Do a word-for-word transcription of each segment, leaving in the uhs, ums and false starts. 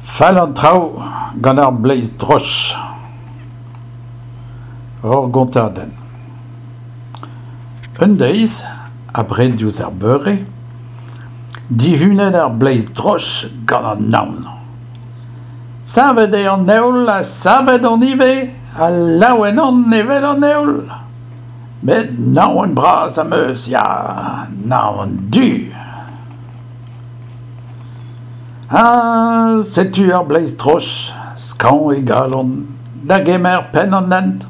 Fall an traoù gant ar bleiz droch. Ur gontadenn. Un deiz, abred diouzh ar beure, dihunet ar bleiz droch gant an naon. Savet eo an heol ha savet on ivez, ha laouen on evel an heol. Met naon bras am eus, ya, naon du. Ha setu ar bleiz droch, skañv e galon, da gemer penn an hent,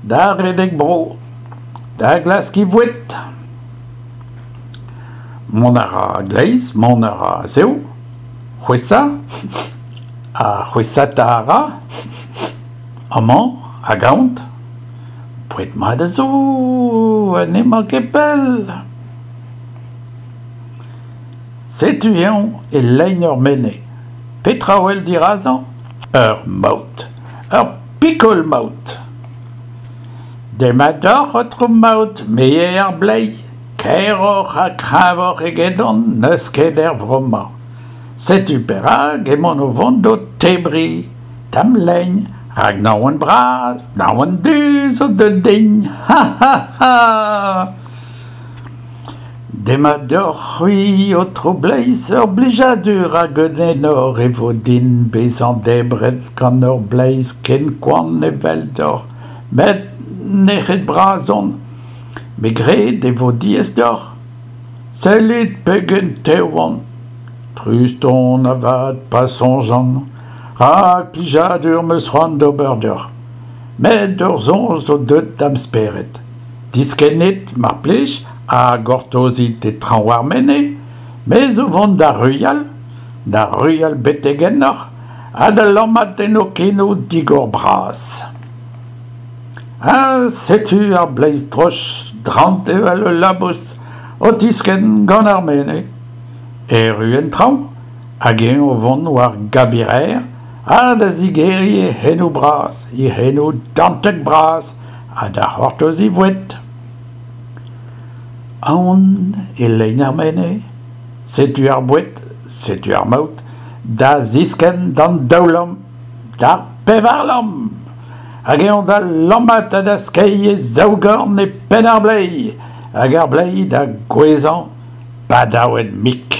da redek bro, da glask e voued. Mont a ra a-gleiz, mont a ra a-zehou, c'hwesa ha c'hwesata a ra, amañ hag ahont. Boued mat a zo ha n'emañ ket pell. Setu eñ e lein ur menez. Petra a wel dirazañ ? Ur maout, ur pikol maout. Demat deoc'h, aotrou maout, me eo ar bleiz. Kaeroc'h ha kreñvoc'h egedon n'eus ket er vro-mañ. Setu perak emaon o vont d'ho tebriñ, d'am lein, rak naon bras, naon du zo deuet din. Ha ha ha ! Demat deoc'h-c'hwi, aotrou bleiz, ur blijadur hag un enor e vo din bezañ debret gant ur bleiz ken koant eveldoc'h, met nec'het-bras on. Me 'gred e vo diaes deoc'h. Sellit pegen tev on. Trist on avat pa soñjan, rak plijadur 'm eus c'hoant d'ober deoc'h. Met ur soñj zo deuet da'm spered. Diskennit, mar plij, ha gortozit e traoñ ar menez. Me zo vont da ruilhal, da ruilhal betek ennoc'h, ha da lammat en ho kenou digor-bras. Ha setu ar bleiz droch, drant evel ul labous, o tiskenn gant ar menez. Erru en traoñ, hag eñ o vont war Gabirer, ha da zigeriñ e c'henoù bras, e c'henoù dantek-bras, ha da c'hortoz e voued. Aon e lein ar menez, setu ar boued, setu ar maout, da ziskenn d'an daou lamm, d'ar pevar lamm. Hag eñ da lammat ha da skeiñ e zaou gorn e penn ar bleiz, hag ar bleiz da gouezhañ badaouet-mik.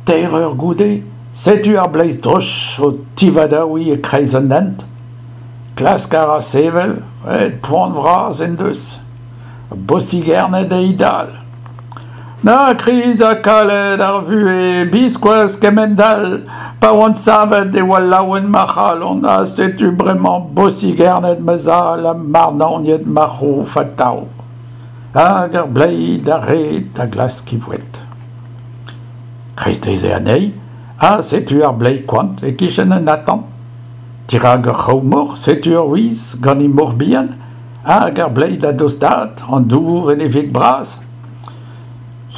Teir eur goude, setu ar bleiz droch o tivadaouiñ e-kreiz an hent. Klask a ra sevel, met poan vras en deus. Bosigernet eo e dal. Na kriz ha kalet ar vuhez, biskoazh kemend-all, pa oan savet e oa laouen ma c'halon, ha setu bremañ bosigernet ma zal ha marnaoniet ma c'hof atav. Hag ar bleiz d'ar red da glask e voued. Kreisteiz eo anezhi, ha setu ar bleiz koant e-kichen un atant. Dirak ur c'hraou-moc'h, setu ur wiz gant he moc'h bihan, hag ar bleiz da dostaat, an dour en e veg bras.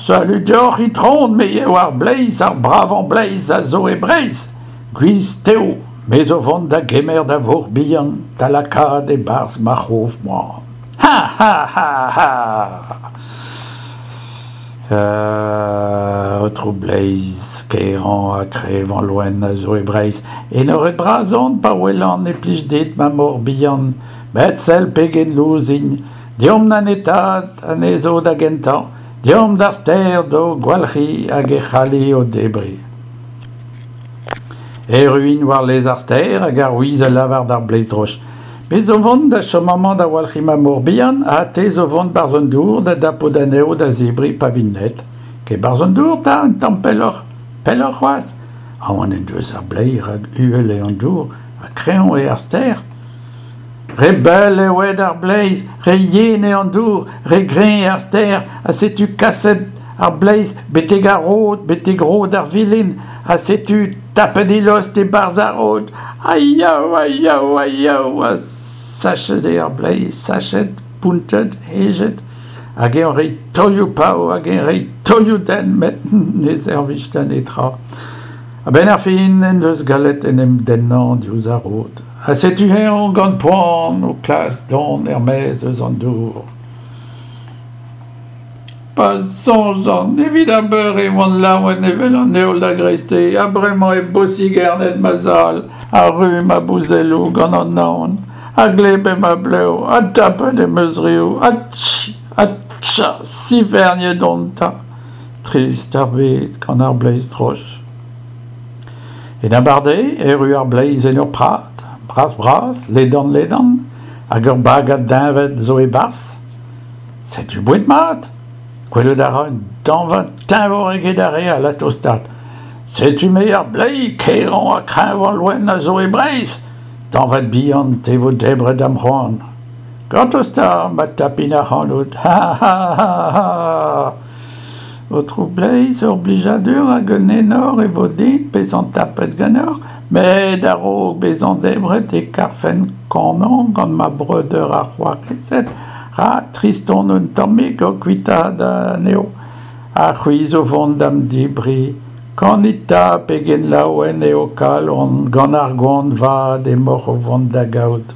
Salud deoc'h, itron, me eo ar bleiz, ar bravañ bleiz a zo e Breizh. Gwiz tev, me zo vont da gemer da voc'h bihan da lakaat e-barzh ma c'hof moan. Ha ha ha ha ! Euh, aotrou bleiz, kaerañ ha kreñvañ loen a zo e Breizh. Enoret-bras on pa welan e plij dit ma moc'h bihan, met sell pegen lous int. Deomp da netaat anezho da gentañ, deomp d'ar stêr d'o gwalc'hiñ hag e c'halli o debriñ. Erru int war lez ar stêr hag ar wiz a lavar d'ar bleiz droch. Me zo vont da chom amañ da walc'hiñ ma moc'h bihan ha te zo vont 'barzh an dour da dapout anezho da zebriñ pa vint net. Ket 'barzh an dour 'ta, un tamm pelloc'h, pelloc'h c'hoazh. Aon en deus ar bleiz rak uhel eo an dour ha kreñv eo ar stêr. Re bell eo aet ar bleiz, re yen eo an dour, re greñv eo ar stêr, ha setu kaset ar bleiz betek ar rod, betek rod ar vilin, ha setu tapet e lost e-barzh ar rod. Aiaou, aiaou, aiaou, ha sachet eo ar bleiz, sachet, bountet, hejet, hag eñ reiñ taolioù pav, hag eñ reiñ taolioù dent, met ne servij da netra. A-benn ar fin en deus gallet en em dennañ diouzh ar rod. Ha setu eñ gant poan o klask dont er-maez eus an dour. Pa soñjan, evit ar beure e oan laouen evel an heol da greisteiz, ha bremañ eo bosigernet ma zal, ha ruz ma bouzelloù gant an naon, ha gleb eo ma blev, ha tapet em eus riv, ha tch, ha tcha, siferniet on 'ta. Trist ar bed gant ar bleiz droch. En abardaez erru ar bleiz en ur prad, bras-bras, ledan-ledan, hag ur bagad deñved zo e-barzh. Setu boued mat! Gwelout a ra un dañvad teñvoc'h eget ar re all ha tostaat. Setu-me ar bleiz, kaerañ ha kreñvañ loen a zo e Breizh. Dañvad bihan, te 'vo debret da'm c'hoan. Gortoz 'ta ma tapin ac'hanout, ha ha ha ha! Aotrou Bleiz, ur blijadur hag un enor e vo din bezañ tapet ganeoc'h, met a-raok bezañ debret e karfen kanañ gant ma breudeur ha c'hoarezed, rak trist on un tammig o kuitaat anezho. Ha c'hwi zo vont da'm debriñ. Kanit 'ta pegen laouen eo ho kalon gant ar goan vat emaoc'h o vont da gaout.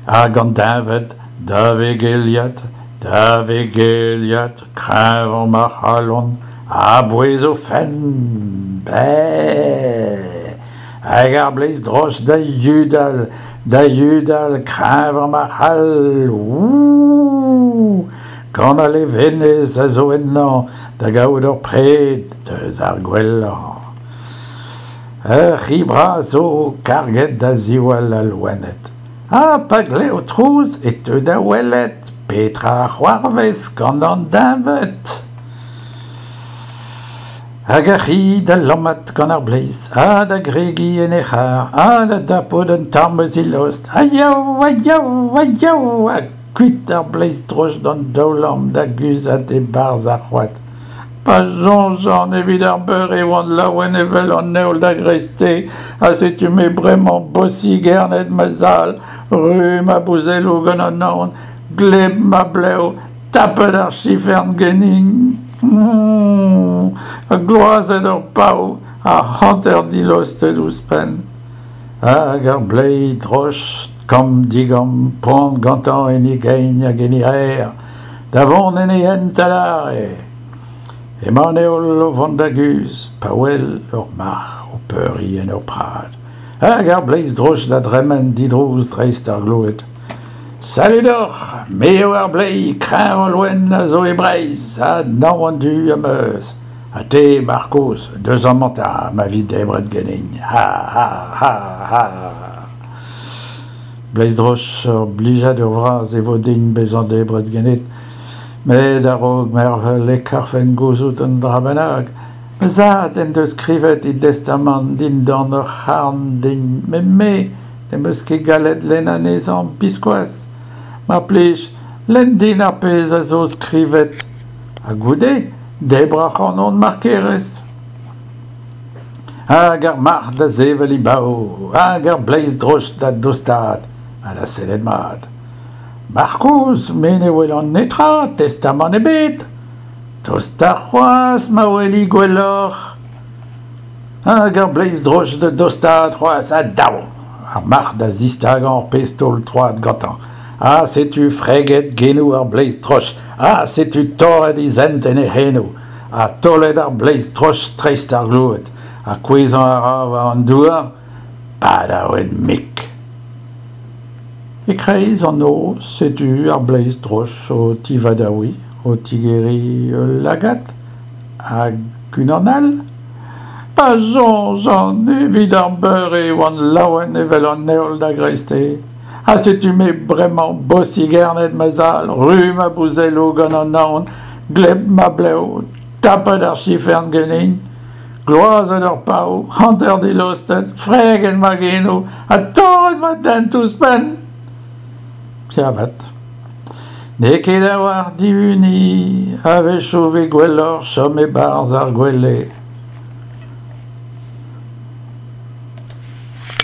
Hag an deñved da vegeliat, da vegeliat, kreñvañ ma c'hallont, a-bouez o fenn, Bæ! Hag ar bleiz droch da yudal, da yudal, kreñvañ ma c'hall, Ouh! Gant al levenez a zo ennañ da gaout ur pred eus ar gwellañ. Ur c'hi bras zo karget da ziwall al loened. Ha pa glev trouz e teu da welet petra a c'hoarvez gant an deñved. Hag ar c'hi da lammat gant ar bleiz, ha da gregiñ en e c'har, ha da dapout un tamm eus e lost. Ha yaou, ha yaou, ha yaou, ha kuit ar bleiz droch d'an daoulamm da guzhat e-barzh ar c'hoad. Pa soñjan evit ar beure e oan laouen evel an heol da greisteiz, ha setu-me bremañ bosigernet ma zal, ruz ma bouzelloù gant an naon, gleb ma blev, tapet ar sifern ganin, ha gloazet ur pav, ha hanter dilostet ouzhpenn. Hag ar bleiz droch, kamm-digamm, poan gantañ en e gein hag en e aer, da vont en e hent adarre. Emañ an heol o vont da guzh, pa wel ur marc'h o peuriñ en ur prad. Hag ar bleiz droch da dremen didrouz dreist ar gloued. Salud deoc'h, me eo ar bleiz, kreñvañ loen a zo e Breizh, ha naon du am eus. Ha te, marc'h kozh, deus amañ 'ta, ma vi debret ganin. Ha ha ha ha! Bleiz droch, ur blijadur vras e vo din bezañ debret ganit. Met a-raok mervel e karfen gouzout un dra bennak. Ma zad en deus skrivet e destamant dindan ur c'harn din, met me n'em eus ket gallet lenn anezhañ biskoazh. Mar plij, lenn din ar pezh a zo skrivet. Ha goude, debr ac'hanon mar kerez. Hag ar marc'h da sevel e bav, hag ar bleiz droch da dostaat, ha da sellet mat. Marc'h kozh, me ne welan netra, testamant ebet. Tosta c'hoazh ma weli gwelloc'h. Hag ar bleiz droch da dostaat c'hoazh, ha dav! Ar marc'h da zistagañ ur pezh taol troad gantañ. Ha setu freget genoù ar bleiz droch, ha setu torret e zent en e c'henoù, ha taolet ar bleiz droch dreist ar gloued, ha kouezhañ a ra war an douar, badaouet-mik. E-kreiz an noz, setu ar bleiz droch o tivadaouiñ, o tigeriñ ul lagad, hag unan all. Pa soñjan evit ar beure e oan laouen evel an heol da greisteiz. Ha setu-me bremañ bosigernet ma zal, ruz ma bouzelloù gant an naon, gleb ma blev, tapet ar sifern ganin, gloazet ur pav, hanter dilostet, freget ma genoù, ha torret ma dent ouzhpenn. Ya avat. N'eo ket a-walc'h dihuniñ, a-wechoù e vez gwelloc'h chom e-barzh ar gwele.